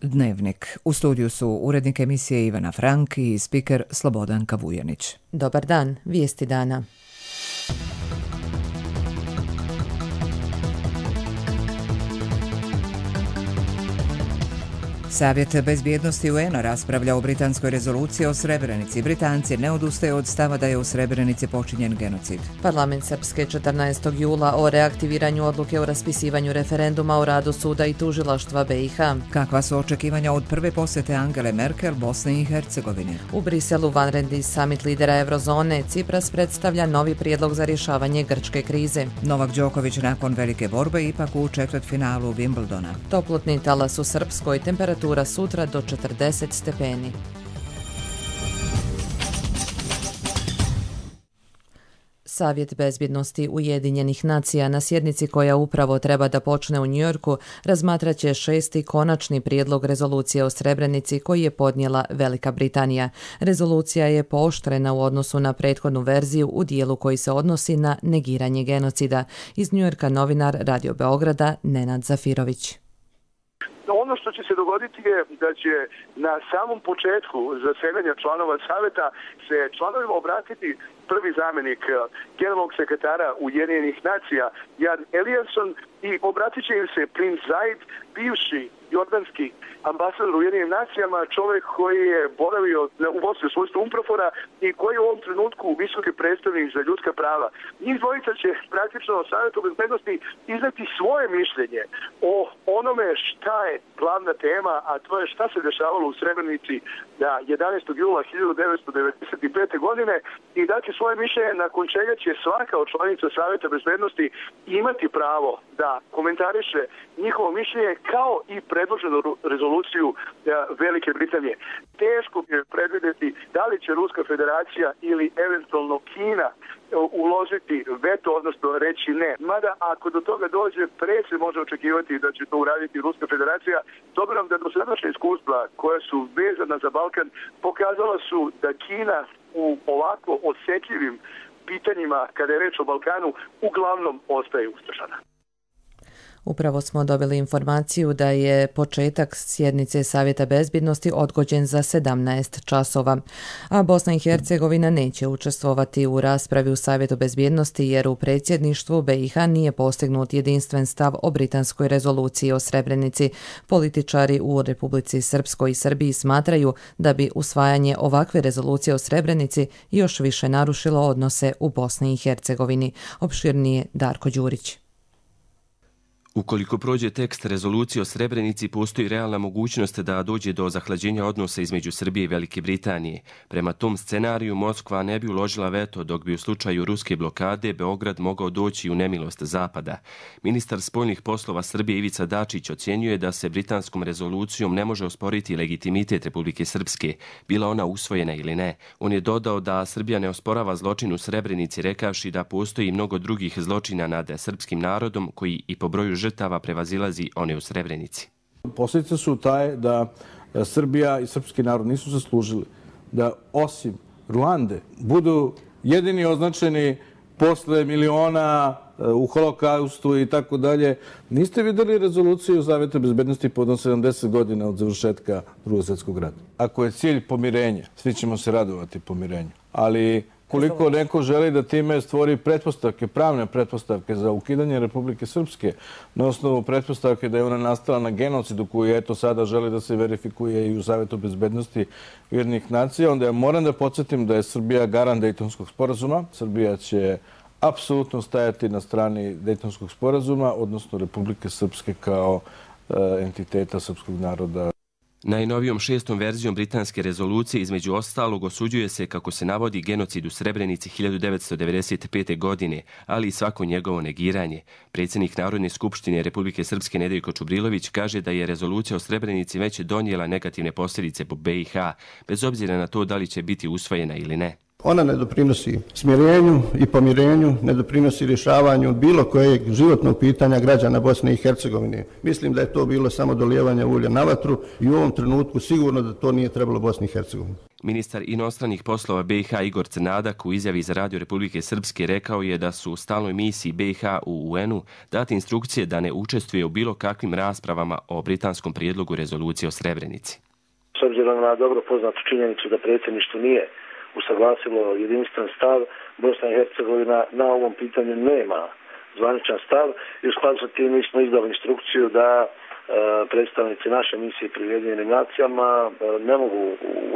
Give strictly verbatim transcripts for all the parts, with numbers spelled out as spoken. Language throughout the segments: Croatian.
Dnevnik. U studiju su urednik emisije Ivana Frank i spiker Slobodan Kavujanić. Dobar dan, vijesti dana. Savjet bezbjednosti U N-a raspravlja o britanskoj rezoluciji o Srebrenici. Britanci ne odustaju od stava da je u Srebrenici počinjen genocid. Parlament Srpske četrnaestog jula o reaktiviranju odluke o raspisivanju referenduma o radu suda i tužilaštva B i H. Kakva su očekivanja od prve posjete Angele Merkel Bosni i Hercegovini? U Briselu vanredni samit lidera Eurozone. Cipras predstavlja novi prijedlog za rješavanje grčke krize. Novak Đoković nakon velike borbe ipak u četvrtfinalu Wimbledona. Toplotni talas u Srpskoj, temperatura sutra do četrdeset stepeni. Savjet bezbjednosti Ujedinjenih nacija na sjednici koja upravo treba da počne u Njujorku razmatrat će šesti konačni prijedlog rezolucije o Srebrenici koji je podnijela Velika Britanija. Rezolucija je pooštrena u odnosu na prethodnu verziju u dijelu koji se odnosi na negiranje genocida. Iz Njujorka novinar Radio Beograda Nenad Zafirović. Ono što će se dogoditi je da će na samom početku zasedanja članova savjeta se članovima obratiti prvi zamjenik generalnog sekretara Ujedinjenih nacija Jan Eliasson i obratit će im se princ Zaid, bivši jordanski ambasador u Ujedinjenim nacijama, čovjek koji je boravio u vodstvu svojstva UNPROFOR-a i koji je u ovom trenutku visoki predstavnik za ljudska prava. Njih dvojica će praktično Savjetu bezbednosti izneti svoje mišljenje o onome šta je glavna tema, a to je šta se dešavalo u Srebrenici na jedanaestog jula hiljadu devetsto devedeset pete. godine i dati svoje mišljenje nakon čega će svaka od članica Savjeta bezbednosti imati pravo da komentariše njihovo mišljenje kao i predloženu rezoluciju Velike Britanije. Teško je predvidjeti da li će Ruska federacija ili eventualno Kina uložiti veto, odnosno reći ne. Mada ako do toga dođe, pre se može očekivati da će to uraditi Ruska federacija, s obzirom da dosadašnja iskustva koja su vezana za Balkan pokazala su da Kina u ovako osjetljivim pitanjima kada je reč o Balkanu uglavnom ostaje ustršana. Upravo smo dobili informaciju da je početak sjednice Savjeta bezbjednosti odgođen za sedamnaest časova, a Bosna i Hercegovina neće učestvovati u raspravi u Savjetu bezbjednosti jer u predsjedništvu B i H nije postignut jedinstven stav o britanskoj rezoluciji o Srebrenici. Političari u Republici Srpskoj i Srbiji smatraju da bi usvajanje ovakve rezolucije o Srebrenici još više narušilo odnose u Bosni i Hercegovini. Opširnije Darko Đurić. Ukoliko prođe tekst rezolucije o Srebrenici, postoji realna mogućnost da dođe do zahlađenja odnosa između Srbije i Velike Britanije. Prema tom scenariju Moskva ne bi uložila veto, dok bi u slučaju ruske blokade Beograd mogao doći u nemilost Zapada. Ministar spoljnih poslova Srbije Ivica Dačić ocjenjuje da se britanskom rezolucijom ne može osporiti legitimitet Republike Srpske, bila ona usvojena ili ne. On je dodao da Srbija ne osporava zločin u Srebrenici, rekavši da postoji mnogo drugih zločina nad srpskim narodom koji i po broju žrtava prevazilazi one u Srebrenici. Posljedice su taj da Srbija i srpski narod nisu zaslužili da osim Ruande budu jedini označeni posle miliona u holokaustu i tako dalje. Niste vidjeli rezoluciju Savjeta bezbednosti podno sedamdeset godina od završetka Drugog svjetskog rata. Ako je cilj pomirenje, svi ćemo se radovati pomirenju. Ali koliko neko želi da time stvori pretpostavke, pravne pretpostavke za ukidanje Republike Srpske na osnovu pretpostavke da je ona nastala na genocidu koji eto sada želi da se verifikuje i u Savjetu bezbednosti Ujedinjenih nacija, onda ja moram da podsjetim da je Srbija garant Dejtonskog sporazuma. Srbija će apsolutno stajati na strani Dejtonskog sporazuma, odnosno Republike Srpske kao entiteta srpskog naroda. Najnovijom šestom verzijom britanske rezolucije između ostalog osuđuje se, kako se navodi, genocid u Srebrenici hiljadu devetsto devedeset pete. godine, ali i svako njegovo negiranje. Predsjednik Narodne skupštine Republike Srpske Nedeljko Čubrilović kaže da je rezolucija o Srebrenici već donijela negativne posljedice po B i H, bez obzira na to da li će biti usvojena ili ne. Ona ne doprinosi smirenju i pomirenju, ne doprinosi rješavanju bilo kojeg životnog pitanja građana Bosne i Hercegovine. Mislim da je to bilo samo dolijevanje ulja na vatru i u ovom trenutku sigurno da to nije trebalo Bosni i Hercegovini. Ministar inostranih poslova B i H Igor Crnadak u izjavi za Radio Republike Srpske rekao je da su u stalnoj misiji B i H u U N-u dati instrukcije da ne učestvuje u bilo kakvim raspravama o britanskom prijedlogu rezolucije o Srebrenici. S obzirom na dobro poznatu činjenicu da predsjedništvo nije usaglasilo jedinstven stav, Bosna i Hercegovina na ovom pitanju nema zvaničan stav i u skladu sa tim mi smo izdali instrukciju da e, predstavnici naše misije pri Ujedinjenim nacijama e, ne mogu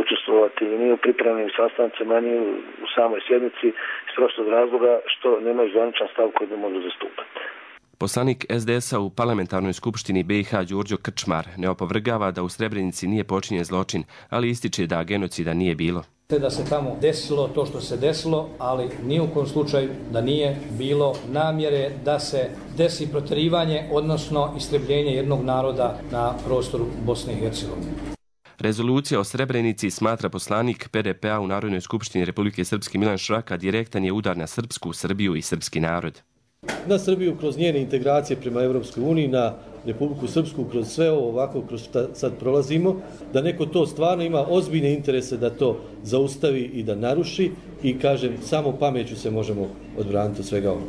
učestvovati ni u pripremnim sastancima ni u samoj sjednici iz prostog razloga što nemaju zvaničan stav koji bi mogli zastupati. Poslanik S D S-a u parlamentarnoj skupštini B i H Đurđo Krčmar ne opovrgava da u Srebrenici nije počinjen zločin, ali ističe da genocida nije bilo. Da se tamo desilo to što se desilo, ali ni u kom slučaju da nije bilo namjere da se desi protjerivanje, odnosno istrebljenje jednog naroda na prostoru Bosne i Hercegovine. Rezolucija o Srebrenici, smatra poslanik P D P-a u Narodnoj skupštini Republike Srpske Milan Šraka, direktan je udar na Srpsku, Srbiju i srpski narod. Na Srbiju kroz njene integracije prema Evropskoj uniji, na Republiku Srpsku kroz sve ovo ovako kroz što sad prolazimo, da neko to stvarno ima ozbiljne interese da to zaustavi i da naruši i kažem samo pameću se možemo odbraniti od svega ovoga.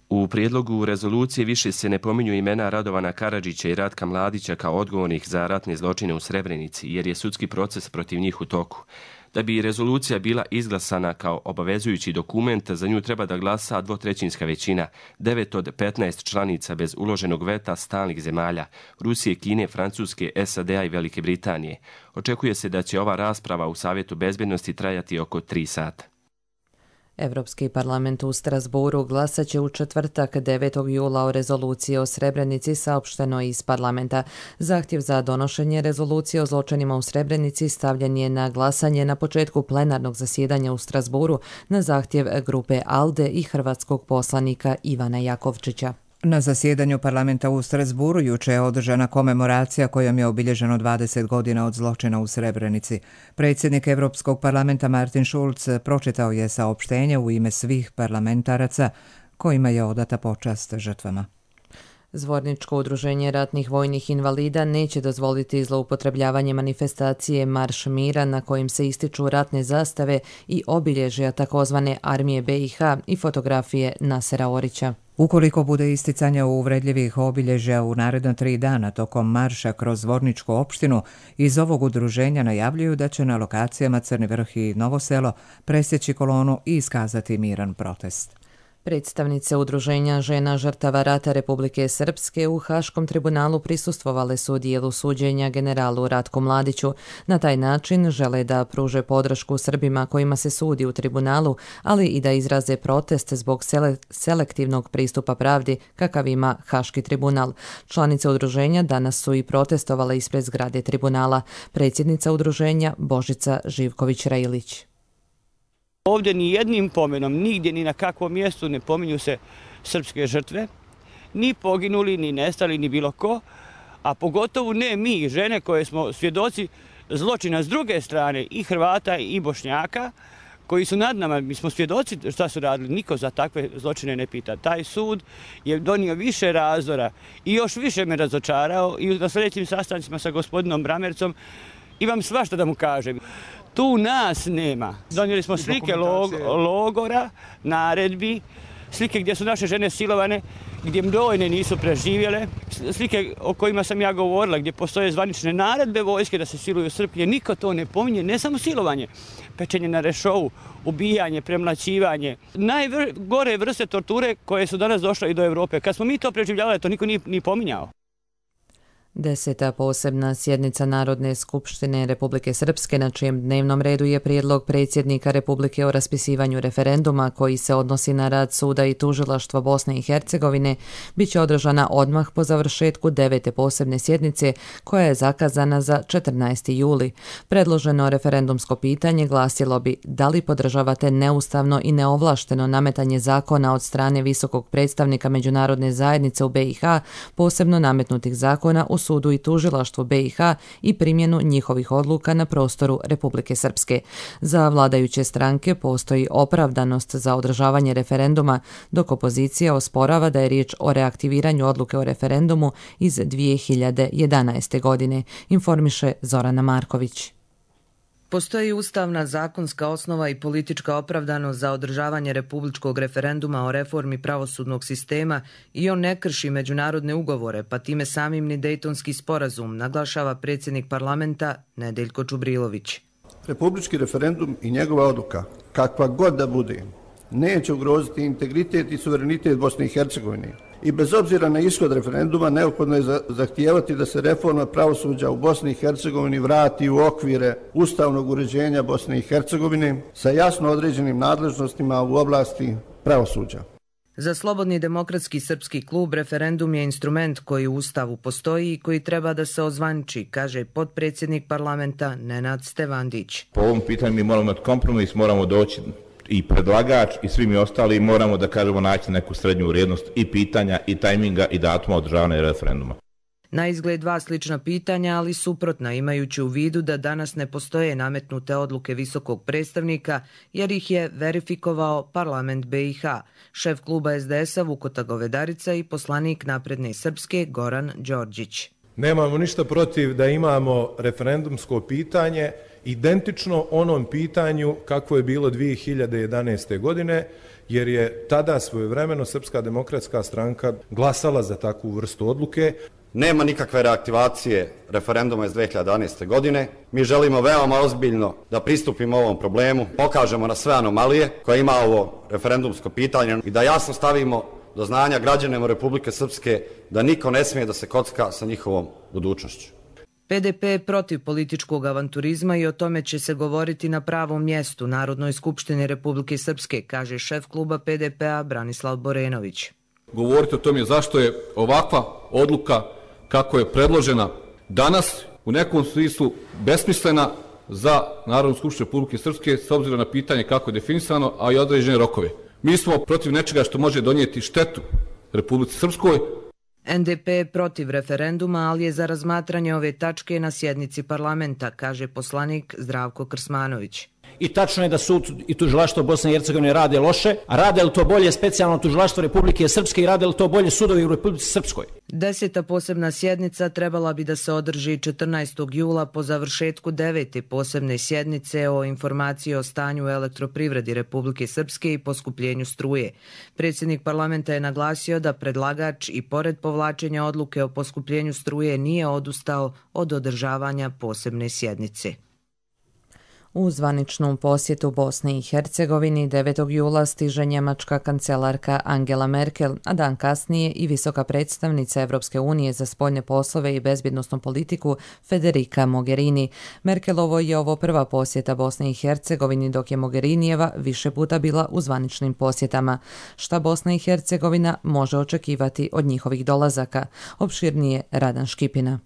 U prijedlogu rezolucije više se ne pominju imena Radovana Karadžića i Ratka Mladića kao odgovornih za ratne zločine u Srebrenici, jer je sudski proces protiv njih u toku. Da bi rezolucija bila izglasana kao obavezujući dokument, za nju treba da glasa dvotrećinska većina, devet od petnaest članica bez uloženog veta stalnih zemalja, Rusije, Kine, Francuske, S A D-a i Velike Britanije. Očekuje se da će ova rasprava u Savjetu bezbednosti trajati oko tri sata. Evropski parlament u Strasburu glasat će u četvrtak devetog jula o rezoluciji o Srebrenici, saopšteno iz parlamenta. Zahtjev za donošenje rezolucije o zločinima u Srebrenici stavljen je na glasanje na početku plenarnog zasjedanja u Strasburu na zahtjev grupe ALDE i hrvatskog poslanika Ivana Jakovčića. Na zasjedanju parlamenta u Strasburu juče je održana komemoracija kojom je obilježeno dvadeset godina od zločina u Srebrenici. Predsjednik Evropskog parlamenta Martin Schulz pročitao je saopštenje u ime svih parlamentaraca kojima je odata počast žrtvama. Zvorničko udruženje ratnih vojnih invalida neće dozvoliti zloupotrebljavanje manifestacije Marš mira na kojim se ističu ratne zastave i obilježja takozvane armije B i H i fotografije Nasera Orića. Ukoliko bude isticanje uvredljivih obilježja u naredna tri dana tokom marša kroz Zvorničku opštinu, iz ovog udruženja najavljuju da će na lokacijama Crni Vrh i Novo Selo presjeći kolonu i iskazati miran protest. Predstavnice udruženja žena žrtava rata Republike Srpske u Haškom tribunalu prisustvovale su dijelu suđenja generalu Ratku Mladiću. Na taj način žele da pruže podršku Srbima kojima se sudi u tribunalu, ali i da izraze protest zbog sele- selektivnog pristupa pravdi kakav ima Haški tribunal. Članice udruženja danas su i protestovale ispred zgrade tribunala. Predsjednica udruženja Božica Živković-Rajilić. Ovdje ni jednim pomenom, nigdje ni na kakvom mjestu ne pominju se srpske žrtve, ni poginuli, ni nestali, ni bilo ko, a pogotovo ne mi, žene koje smo svjedoci zločina s druge strane i Hrvata i Bošnjaka, koji su nad nama, mi smo svjedoci šta su radili, niko za takve zločine ne pita. Taj sud je donio više razdora i još više me razočarao i na sljedećim sastancima sa gospodinom Bramercom imam svašta da mu kažem. Tu nas nema. Donijeli smo slike log, logora, naredbi, slike gdje su naše žene silovane, gdje brojne nisu preživjele, slike o kojima sam ja govorila, gdje postoje zvanične naredbe vojske da se siluju Srpije. Niko to ne pominje, ne samo silovanje, pečenje na rešovu, ubijanje, premlaćivanje. Najgore vrste torture koje su danas došle i do Evrope. Kad smo mi to preživljavali, to niko nije ni pominjao. Deseta posebna sjednica Narodne skupštine Republike Srpske, na čijem dnevnom redu je prijedlog predsjednika Republike o raspisivanju referenduma koji se odnosi na rad suda i tužilaštva Bosne i Hercegovine, bit će održana odmah po završetku devete posebne sjednice koja je zakazana za četrnaesti juli. Predloženo referendumsko pitanje glasilo bi da li podržavate neustavno i neovlašteno nametanje zakona od strane visokog predstavnika međunarodne zajednice u B i H, posebno nametnutih zakona u sudu i tužilaštvu B i H i primjenu njihovih odluka na prostoru Republike Srpske. Za vladajuće stranke postoji opravdanost za održavanje referenduma, dok opozicija osporava da je riječ o reaktiviranju odluke o referendumu iz dvije hiljade jedanaeste. godine, informiše Zorana Marković. Postoji ustavna zakonska osnova i politička opravdanost za održavanje republičkog referenduma o reformi pravosudnog sistema i on ne krši međunarodne ugovore, pa time samim ni Dejtonski sporazum, naglašava predsjednik parlamenta Nedeljko Čubrilović. Republički referendum i njegova odluka, kakva god da bude, neće ugroziti integritet i suverenitet Bosne i Hercegovine. I bez obzira na ishod referenduma neophodno je zahtijevati da se reforma pravosuđa u Bosni i Hercegovini vrati u okvire ustavnog uređenja Bosne i Hercegovine sa jasno određenim nadležnostima u oblasti pravosuđa. Za Slobodni demokratski srpski klub referendum je instrument koji u Ustavu postoji i koji treba da se ozvaniči, kaže potpredsjednik parlamenta Nenad Stevandić. Po ovom pitanju mi moramo imati kompromis, moramo doći i predlagač i svi mi ostali moramo da kažemo naći neku srednju vrijednost i pitanja i tajminga i datuma održavanja referenduma. Na izgled dva slična pitanja, ali suprotna, imajući u vidu da danas ne postoje nametnute odluke visokog predstavnika, jer ih je verifikovao parlament B i H, šef kluba es de esa Vukota Govedarica i poslanik Napredne Srpske Goran Đorđić. Nemamo ništa protiv da imamo referendumsko pitanje identično onom pitanju kako je bilo dvije hiljade jedanaeste. godine, jer je tada svojevremeno Srpska demokratska stranka glasala za takvu vrstu odluke. Nema nikakve reaktivacije referenduma iz dvije hiljade jedanaeste. godine. Mi želimo veoma ozbiljno da pristupimo ovom problemu, pokažemo na sve anomalije koje ima ovo referendumsko pitanje i da jasno stavimo do znanja građanima Republike Srpske da niko ne smije da se kocka sa njihovom budućnošću. Pe de pe je protiv političkog avanturizma i o tome će se govoriti na pravom mjestu Narodnoj skupštini Republike Srpske, kaže šef kluba pe de pea Branislav Borenović. Govoriti o tome zašto je ovakva odluka kako je predložena danas u nekom smislu besmislena za Narodnu skupštinu Republike Srpske s obzirom na pitanje kako je definisano, a i određene rokove. Mi smo protiv nečega što može donijeti štetu Republici Srpskoj. en de pe je protiv referenduma, ali je za razmatranje ove tačke na sjednici parlamenta, kaže poslanik Zdravko Krsmanović. I tačno je da sud i tužilaštvo Bosne i Hercegovine rade loše, a rade li to bolje specijalno tužilaštvo Republike Srpske i rade li to bolje sudovi u Republici Srpskoj? Deseta posebna sjednica trebala bi da se održi četrnaestog jula po završetku devete posebne sjednice o informaciji o stanju u elektroprivredi Republike Srpske i poskupljenju struje. Predsjednik parlamenta je naglasio da predlagač i pored povlačenja odluke o poskupljenju struje nije odustao od održavanja posebne sjednice. U zvaničnom posjetu Bosni i Hercegovini devetog jula stiže njemačka kancelarka Angela Merkel, a dan kasnije i visoka predstavnica Evropske unije za spoljne poslove i bezbjednosnu politiku Federica Mogherini. Merkelovo je ovo prva posjeta Bosni i Hercegovini, dok je Mogherinijeva više puta bila u zvaničnim posjetama. Šta Bosna i Hercegovina može očekivati od njihovih dolazaka? Opširnije Radan Škipina.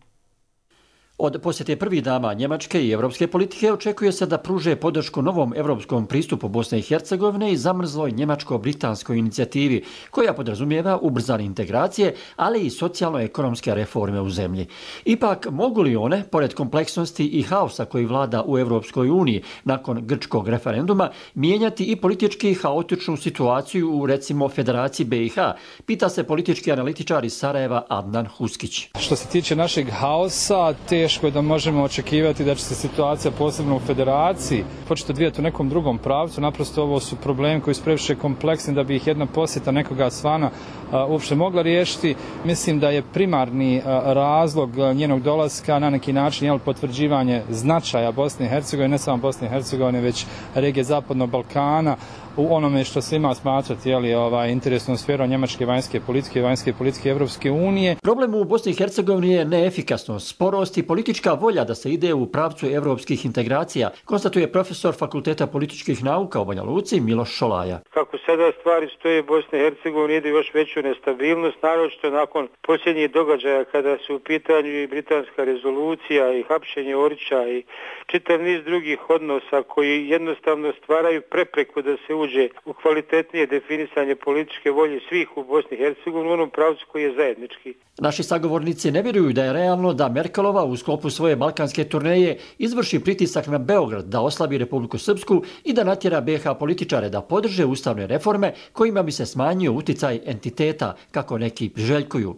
Od posjete prvih dama njemačke i evropske politike očekuje se da pruže podršku novom evropskom pristupu Bosne i Hercegovine i zamrzloj njemačko-britanskoj inicijativi, koja podrazumijeva ubrzane integracije, ali i socijalno-ekonomske reforme u zemlji. Ipak, mogu li one, pored kompleksnosti i haosa koji vlada u Evropskoj uniji nakon grčkog referenduma, mijenjati i politički haotičnu situaciju u, recimo, Federaciji be i ha? Pita se politički analitičar iz Sarajeva Adnan Huskić. Što se tiče našeg haosa, te teško je da možemo očekivati da će se situacija posebno u federaciji početi odvijati u nekom drugom pravcu. Naprosto ovo su problemi koji su previše kompleksni da bi ih jedna posjeta nekoga svana a, uopšte mogla riješiti. Mislim da je primarni a, razlog njenog dolaska na neki način jel, potvrđivanje značaja Bosne i Hercegovine, ne samo Bosne i Hercegovine, već regije Zapadnog Balkana, u onome što se ima smatrati jeli, ovaj, interesnom sferom njemačke vanjske politike i vanjske politike Evropske unije. Problem u Bosni i Hercegovini je neefikasnost, sporost i politička volja da se ide u pravcu evropskih integracija, konstatuje profesor Fakulteta političkih nauka u Banja Luci Miloš Šolaja. Kako sada stvari stoje, Bosna i Hercegovina ide još veću nestabilnost, naročito nakon posljednjih događaja kada su u pitanju i britanska rezolucija i hapšenje Orića i čitav niz drugih odnosa koji jednostavno stvaraju prepreku da se uđe u kvalitetnije definisanje političke volje svih u Bosni i Hercegovini u onom pravcu koji je zajednički. Naši sagovornici ne vjeruju da je realno da Merkelova u sklopu svoje balkanske turneje izvrši pritisak na Beograd da oslabi Republiku Srpsku i da natjera B iH političare da podrže ustavne reforme kojima bi se smanjio uticaj entiteta, kako neki priželjkuju.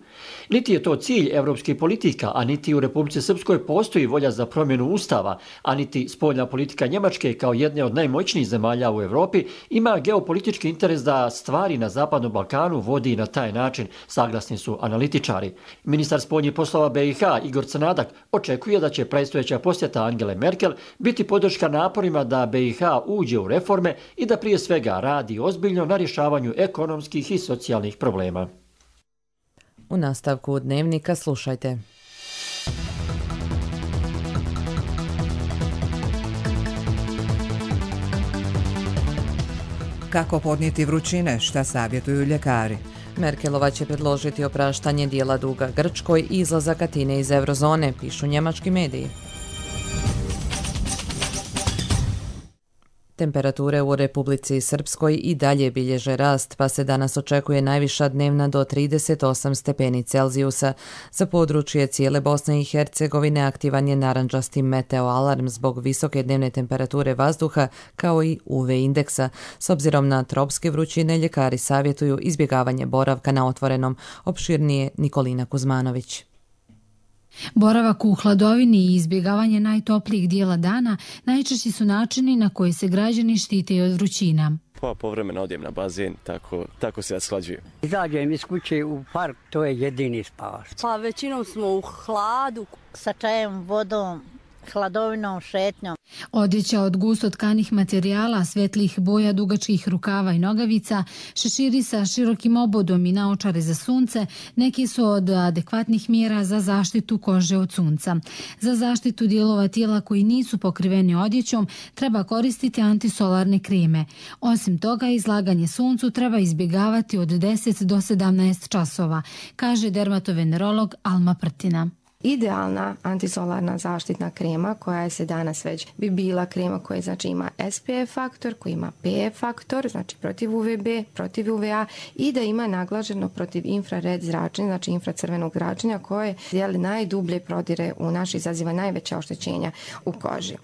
Niti je to cilj evropskih politika, a niti u Republici Srpskoj postoji volja za promjenu ustava, a niti spoljna politika Njemačke kao jedne od najmoćnijih zemalja u Europi ima geopolitički interes da stvari na Zapadnom Balkanu vodi na taj način, saglasni su analitičari. Ministar spoljnih poslova B iH Igor Crnadak očekuje da će predstojeća posjeta Angele Merkel biti podrška naporima da B iH uđe u reforme i da prije svega radi ozbiljno na rješavanju ekonomskih i socijalnih problema. U nastavku dnevnika slušajte. Kako podnijeti vrućine, šta savjetuju ljekari? Merkelova će predložiti opraštanje dijela duga Grčkoj i izlazak Atine iz eurozone, pišu njemački mediji. Temperature u Republici Srpskoj i dalje bilježe rast, pa se danas očekuje najviša dnevna do trideset osam stepeni Celzijusa. Za područje cijele Bosne i Hercegovine aktivan je narandžasti meteoalarm zbog visoke dnevne temperature vazduha kao i U V indeksa. S obzirom na tropske vrućine, ljekari savjetuju izbjegavanje boravka na otvorenom. Opširnije Nikolina Kuzmanović. Boravak u hladovini i izbjegavanje najtoplijih dijela dana najčešći su načini na koje se građani štite od vrućina. Pa povremeno odem na bazen, tako, tako se rashlađujem. Izađem iz kuće u park, to je jedini spas. Pa većinom smo u hladu. Sa čajem, vodom, hladovinom, šetnjom. Odjeća od gusto tkanih materijala, svetlih boja, dugačkih rukava i nogavica, šeširi sa širokim obodom i naočare za sunce, neki su od adekvatnih mjera za zaštitu kože od sunca. Za zaštitu dijelova tijela koji nisu pokriveni odjećom treba koristiti antisolarne kreme. Osim toga, izlaganje suncu treba izbjegavati od deset do sedamnaest časova, kaže dermatovenerolog Alma Prtina. Idealna antisolarna zaštitna krema koja je se danas već bi bila krema koja znači ima S P F faktor, koja ima P F faktor, znači protiv U V B, protiv U V A i da ima naglaženo protiv infrared zračenja, znači infracrvenog zračenja koje dijeli najdublje prodire u naš, izaziva najveća oštećenja u koži.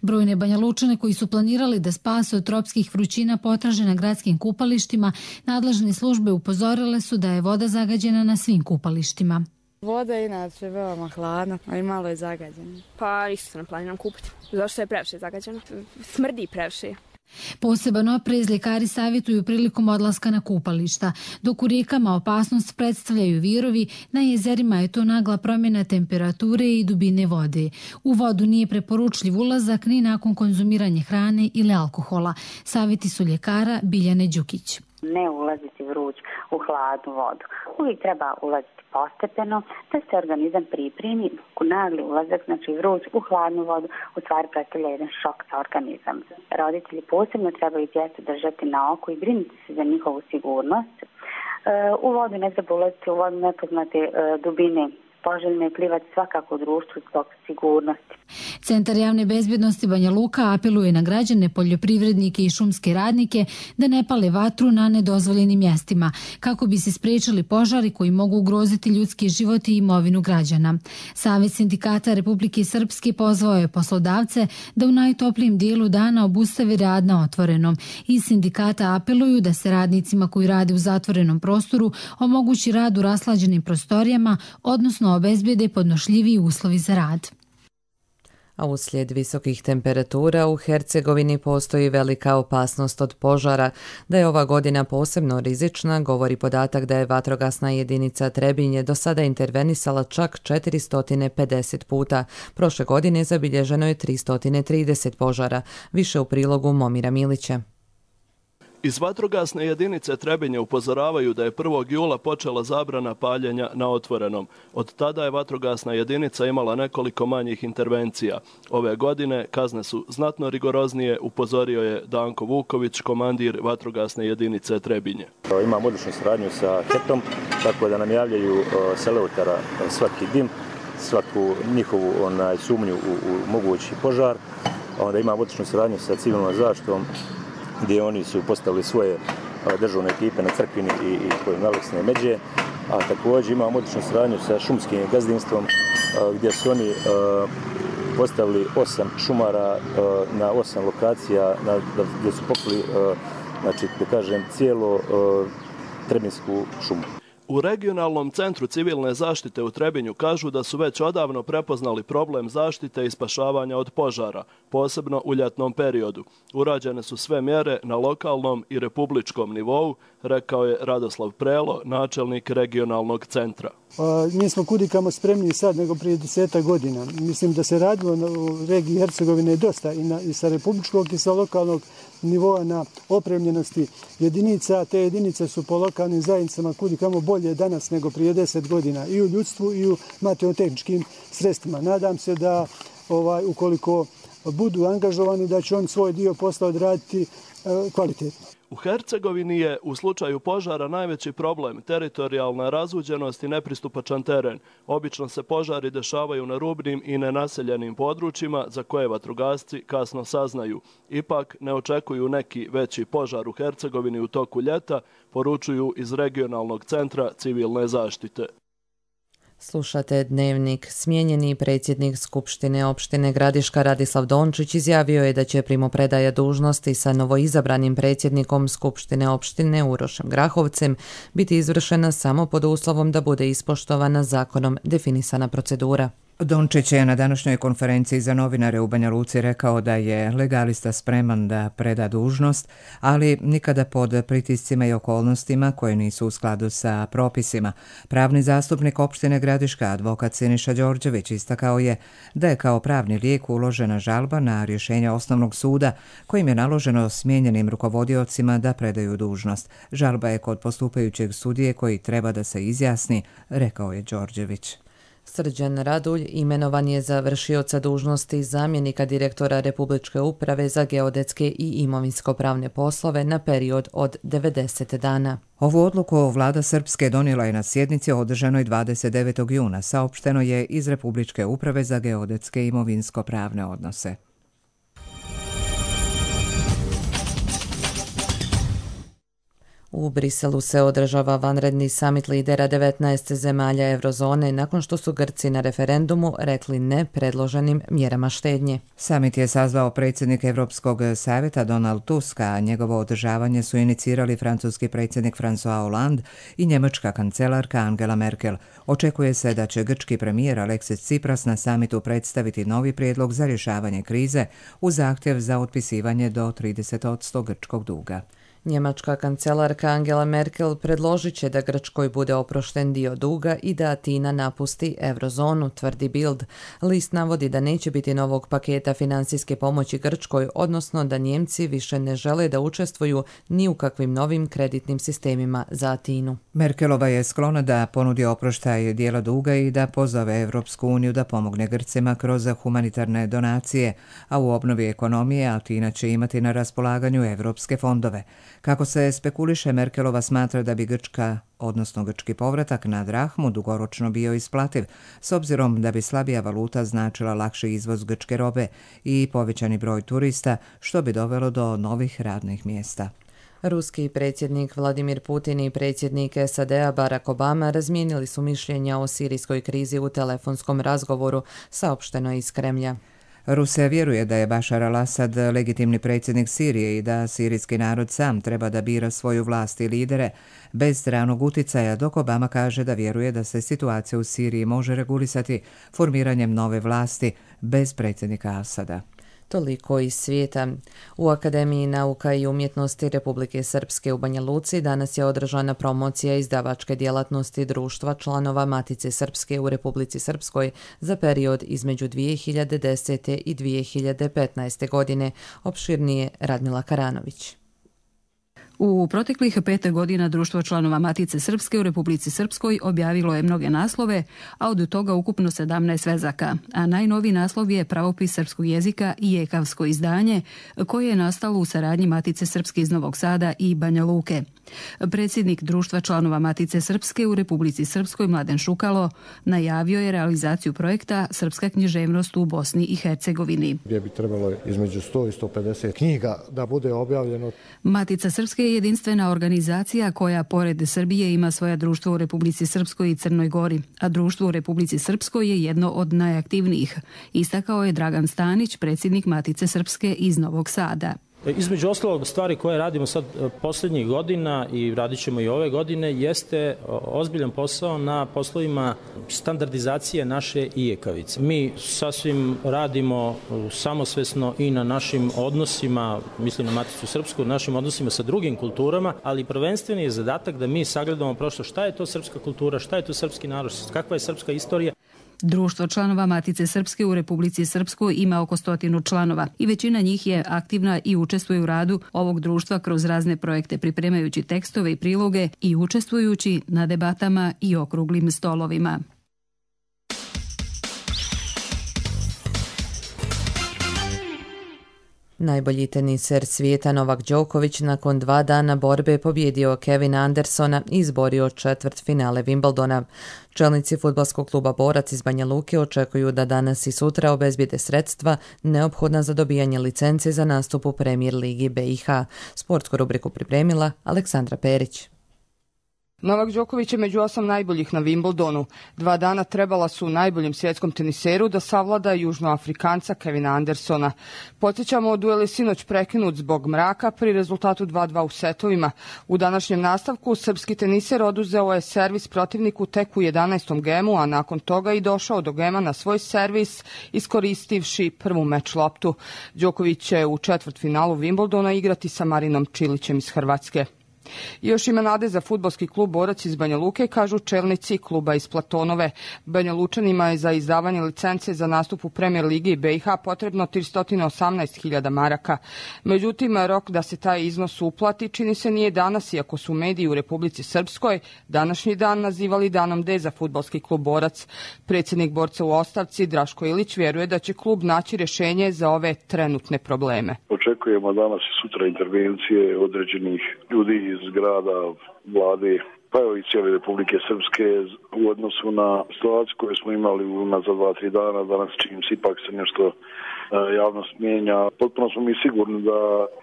Brojne Banja Lučane koji su planirali da spase od tropskih vrućina potraže na gradskim kupalištima, nadležne službe upozorile su da je voda zagađena na svim kupalištima. Voda je inače veoma hladna, a i malo je zagađena. Pa isto se ne planiram kupiti. Zašto je previše zagađeno? Smrdi previše. Poseban oprez ljekari savjetuju prilikom odlaska na kupališta. Dok u rijekama opasnost predstavljaju virovi, na jezerima je to nagla promjena temperature i dubine vode. U vodu nije preporučljiv ulazak ni nakon konzumiranja hrane ili alkohola. Savjeti su ljekara Biljane Đukić. Ne ulaziti vruć u hladnu vodu. Uvijek treba ulaziti postepeno, da se organizam pripremi. Nagli ulazak, znači vruć u hladnu vodu, u stvari predstavlja jedan šok za organizam. Roditelji posebno trebaju djecu držati na oko i brinuti se za njihovu sigurnost. U vodu ne treba ulaziti, u vodu nepoznate dubine. Poželjno je plivati svakako u društvu zbog sigurnosti. Centar javne bezbjednosti Banja Luka apeluje na građane, poljoprivrednike i šumske radnike da ne pale vatru na nedozvoljenim mjestima, kako bi se spriječili požari koji mogu ugroziti ljudski život i imovinu građana. Savez sindikata Republike Srpske pozvao je poslodavce da u najtoplijem dijelu dana obustave rad na otvorenom. Iz sindikata apeluju da se radnicima koji rade u zatvorenom prostoru omogući rad u raslađenim prostorijama, odnosno obezbijede podnošljiviji uslovi za rad. A uslijed visokih temperatura u Hercegovini postoji velika opasnost od požara. Da je ova godina posebno rizična, govori podatak da je vatrogasna jedinica Trebinje do sada intervenisala čak četiristo pedeset puta. Prošle godine zabilježeno je tristo trideset požara. Više u prilogu Momira Milića. Iz vatrogasne jedinice Trebinje upozoravaju da je prvog jula počela zabrana paljenja na otvorenom. Od tada je vatrogasna jedinica imala nekoliko manjih intervencija. Ove godine kazne su znatno rigoroznije, upozorio je Danko Vuković, komandir vatrogasne jedinice Trebinje. Imamo odličnu saradnju sa H E T-om, tako da nam javljaju seleutara svaki dim, svaku njihovu sumnju u mogući požar. Onda imamo odličnu saradnju sa civilnom zaštitom gdje oni su postavili svoje državne ekipe na Crkvini i, i kod Aleksine Međe, a također imamo odličnu saradnju sa šumskim gazdinstvom gdje su oni postavili osam šumara na osam lokacija na, gdje su pokrili, znači da kažem, cijelo Trebinsku šumu. U regionalnom centru civilne zaštite u Trebinju kažu da su već odavno prepoznali problem zaštite i spašavanja od požara, posebno u ljetnom periodu. Urađene su sve mjere na lokalnom i republičkom nivou, rekao je Radoslav Prelo, načelnik regionalnog centra. Mi smo kudikamo spremniji sad nego prije deseta godina. Mislim da se radilo u regiji Hercegovine dosta i, na, i sa republičkog i sa lokalnog nivoa na opremljenosti jedinica. Te jedinice su po lokalnim zajednicama kudikamo bolje danas nego prije deset godina i u ljudstvu i u materijalno-tehničkim sredstvima. Nadam se da ovaj, ukoliko budu angažovani da će on svoj dio posla odraditi e, kvalitetno. U Hercegovini je u slučaju požara najveći problem teritorijalna razuđenost i nepristupačan teren. Obično se požari dešavaju na rubnim i nenaseljenim područjima za koje vatrogasci kasno saznaju. Ipak ne očekuju neki veći požar u Hercegovini u toku ljeta, poručuju iz regionalnog centra civilne zaštite. Slušate Dnevnik. Smijenjeni predsjednik Skupštine opštine Gradiška Radislav Dončić izjavio je da će primopredaja dužnosti sa novoizabranim predsjednikom Skupštine opštine Urošem Grahovcem biti izvršena samo pod uslovom da bude ispoštovana zakonom definisana procedura. Dončić je na današnjoj konferenciji za novinare u Banja Luci rekao da je legalista spreman da preda dužnost, ali nikada pod pritiscima i okolnostima koje nisu u skladu sa propisima. Pravni zastupnik opštine Gradiška, advokat Siniša Đorđević, istakao je da je kao pravni lijek uložena žalba na rješenje osnovnog suda kojim je naloženo smijenjenim rukovodiocima da predaju dužnost. Žalba je kod postupajućeg sudije koji treba da se izjasni, rekao je Đorđević. Srđan Radulj imenovan je za vršioca dužnosti zamjenika direktora Republičke uprave za geodetske i imovinsko-pravne poslove na period od devedeset dana. Ovu odluku vlada Srpske donijela je na sjednici održanoj dvadeset devetog juna, saopšteno je iz Republičke uprave za geodetske i imovinsko-pravne odnose. U Briselu se održava vanredni samit lidera devetnaest zemalja eurozone nakon što su Grci na referendumu rekli ne predloženim mjerama štednje. Samit je sazvao predsjednik Evropskog savjeta Donald Tusk, a njegovo održavanje su inicirali francuski predsjednik François Hollande i njemačka kancelarka Angela Merkel. Očekuje se da će grčki premijer Aleksis Tsipras na samitu predstaviti novi prijedlog za rješavanje krize uz zahtjev za otpisivanje do trideset posto grčkog duga. Njemačka kancelarka Angela Merkel predložit će da Grčkoj bude oprošten dio duga i da Atina napusti eurozonu, tvrdi Bild. List navodi da neće biti novog paketa financijske pomoći Grčkoj, odnosno da Njemci više ne žele da učestvuju ni u kakvim novim kreditnim sistemima za Atinu. Merkelova je sklona da ponudi oproštaj dijela duga i da pozove Evropsku uniju da pomogne Grcima kroz humanitarne donacije, a u obnovi ekonomije Atina će imati na raspolaganju evropske fondove. Kako se spekuliše, Merkelova smatra da bi Grčka, odnosno grčki povratak na drahmu, dugoročno bio isplativ, s obzirom da bi slabija valuta značila lakši izvoz grčke robe i povećani broj turista, što bi dovelo do novih radnih mjesta. Ruski predsjednik Vladimir Putin i predsjednik S A D-a Barack Obama razmijenili su mišljenja o sirijskoj krizi u telefonskom razgovoru, saopšteno iz Kremlja. Rusija vjeruje da je Bašar al-Asad legitimni predsjednik Sirije i da sirijski narod sam treba da bira svoju vlast i lidere bez stranog uticaja, dok Obama kaže da vjeruje da se situacija u Siriji može regulisati formiranjem nove vlasti bez predsjednika Asada. Toliko iz svijeta. U Akademiji nauka i umjetnosti Republike Srpske u Banja Luci danas je održana promocija izdavačke djelatnosti društva članova Matice Srpske u Republici Srpskoj za period između dvije hiljade desete i dvije hiljade petnaeste. godine. Opširnije Radmila Karanović. U proteklih pet godina Društvo članova Matice Srpske u Republici Srpskoj objavilo je mnoge naslove, a od toga ukupno sedamnaest svezaka, a najnoviji naslov je Pravopis srpskog jezika i ekavsko izdanje, koje je nastalo u saradnji Matice Srpske iz Novog Sada i Banja Luke. Predsjednik Društva članova Matice Srpske u Republici Srpskoj Mladen Šukalo najavio je realizaciju projekta Srpska književnost u Bosni i Hercegovini. Gdje bi trebalo između sto i sto pedeset knjiga da bude objavljeno. Matica Srpske je jedinstvena organizacija koja pored Srbije ima svoja društva u Republici Srpskoj i Crnoj Gori, a društvo u Republici Srpskoj je jedno od najaktivnijih, istakao je Dragan Stanić, predsjednik Matice Srpske iz Novog Sada. Između ostalog, stvari koje radimo sad posljednjih godina i radit ćemo i ove godine jeste ozbiljan posao na poslovima standardizacije naše ijekavice. Mi sasvim radimo samosvesno i na našim odnosima, mislim na Maticu Srpsku, našim odnosima sa drugim kulturama, ali prvenstveni je zadatak da mi sagledamo prosto šta je to srpska kultura, šta je to srpski narod, kakva je srpska istorija. Društvo članova Matice Srpske u Republici Srpskoj ima oko stotinu članova i većina njih je aktivna i učestvuje u radu ovog društva kroz razne projekte, pripremajući tekstove i priloge i učestvujući na debatama i okruglim stolovima. Najbolji teniser svijeta Novak Đoković nakon dva dana borbe pobjedio Kevina Andersona i izborio četvrt finale Wimbledona. Čelnici fudbalskog kluba Borac iz Banja Luke očekuju da danas i sutra obezbijede sredstva neophodna za dobijanje licence za nastup u Premier ligi B i H. Sportsku rubriku pripremila Aleksandra Perić. Novak Đoković je među osam najboljih na Wimbledonu. Dva dana trebala su najboljem svjetskom teniseru da savlada Južnoafrikanca Kevina Andersona. Podsjećamo, duel je sinoć prekinut zbog mraka pri rezultatu dva dva u setovima. U današnjem nastavku srpski teniser oduzeo je servis protivniku tek u jedanaestom gemu, a nakon toga i došao do gema na svoj servis, iskoristivši prvu meč loptu. Đoković će u četvrtfinalu Wimbledona igrati sa Marinom Čilićem iz Hrvatske. Još ima nade za fudbalski klub Borac iz Banja Luke, kažu čelnici kluba iz Platonove. Banja Lučanima je za izdavanje licence za nastup u Premier ligi B i H potrebno tristo osamnaest hiljada maraka. Međutim, rok da se taj iznos uplati čini se nije danas, iako su mediji u Republici Srpskoj današnji dan nazivali danom D za fudbalski klub Borac. Predsjednik Borca u ostavci Draško Ilić vjeruje da će klub naći rješenje za ove trenutne probleme. Očekujemo danas i sutra intervencije određenih ljudi iz grada, vlade, pa evo i cijele Republike Srpske u odnosu na situaciju koju smo imali unazad dva, tri dana. Danas čim se ipak se nešto javnost mijenja. Potpuno smo mi sigurni da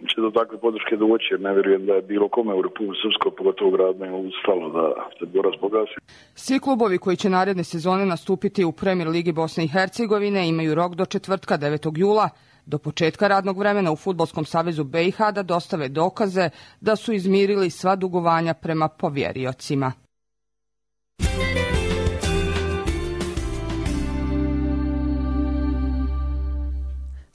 će do takve podrške doći, jer ne vjerujem da je bilo kome u Republike Srpskoj, pogotovo u gradu, stalo da se Borac pogasi. Svi klubovi koji će naredne sezone nastupiti u Premier ligi Bosne i Hercegovine imaju rok do četvrtka devetog jula. Do početka radnog vremena u Fudbalskom savezu B i H da dostave dokaze da su izmirili sva dugovanja prema povjeriocima.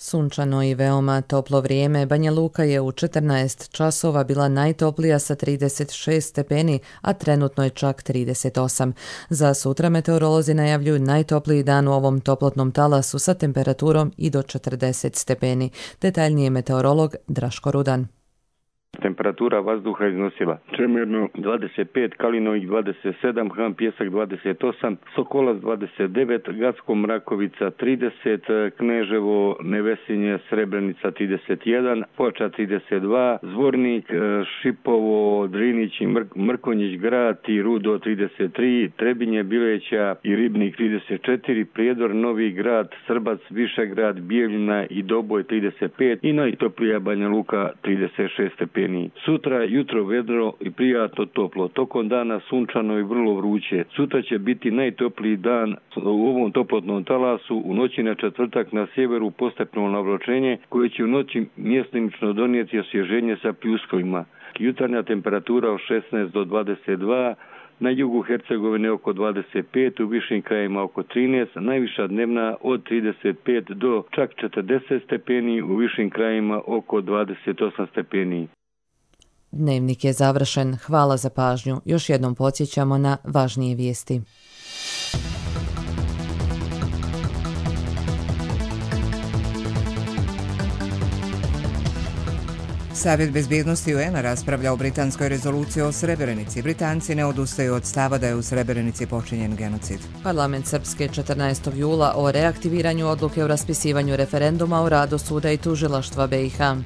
Sunčano i veoma toplo vrijeme. Banja Luka je u četrnaest časova bila najtoplija sa trideset šest stepeni, a trenutno je čak trideset osam. Za sutra meteorolozi najavljuju najtopliji dan u ovom toplotnom talasu sa temperaturom i do četrdeset stepeni. Detaljnije meteorolog Draško Rudan. Temperatura vazduha iznosila Čemerno dvadeset pet, Kalinovik dvadeset sedam, Han Pjesak dvadeset osam, Sokolac dvadeset devet, Gacko Mrakovica trideset, Kneževo, Nevesinje, Srebrenica trideset jedan, Foča trideset dva, Zvornik, Šipovo, Drinić i Mrkonjić Grad i Rudo trideset tri, Trebinje, Bileća i Ribnik trideset četiri, Prijedor, Novi Grad, Srbac, Višegrad, Bijeljina i Doboj trideset pet i najtoplija Banja Luka trideset šest stepeni. Sutra jutro vedro i prijatno toplo, tokom dana sunčano i vrlo vruće. Sutra će biti najtopliji dan u ovom toplotnom talasu, u noći na četvrtak na sjeveru postepeno navlačenje koje će u noći mjestimično donijeti osvježenje sa pljuskovima. Jutarnja temperatura od šesnaest do dvadeset dva, na jugu Hercegovine oko dvadeset pet, u višim krajevima oko trinaest, najviša dnevna od trideset pet do čak četrdeset stepeni, u višim krajevima oko dvadeset osam stepeni. Dnevnik je završen. Hvala za pažnju. Još jednom podsjećamo na važnije vijesti. Savjet bezbjednosti U N-a raspravlja o britanskoj rezoluciji o Srebrenici. Britanci ne odustaju od stava da je u Srebrenici počinjen genocid. Parlament Srpske četrnaestog jula o reaktiviranju odluke o raspisivanju referenduma o radu suda i tužilaštva B i H.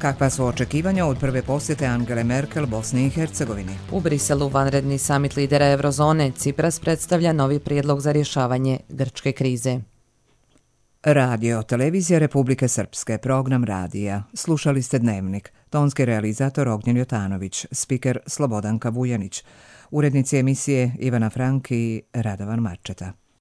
Kakva su očekivanja od prve posjete Angele Merkel Bosni i Hercegovini? U Briselu vanredni samit lidera Eurozone. Cipras predstavlja novi prijedlog za rješavanje grčke krize. Radio, televizija Republike Srpske, program radija. Slušali ste Dnevnik. Tonski realizator Ognjen Jotanović, spiker Slobodanka Vujanić, urednici emisije Ivana Frank i Radovan Marčeta.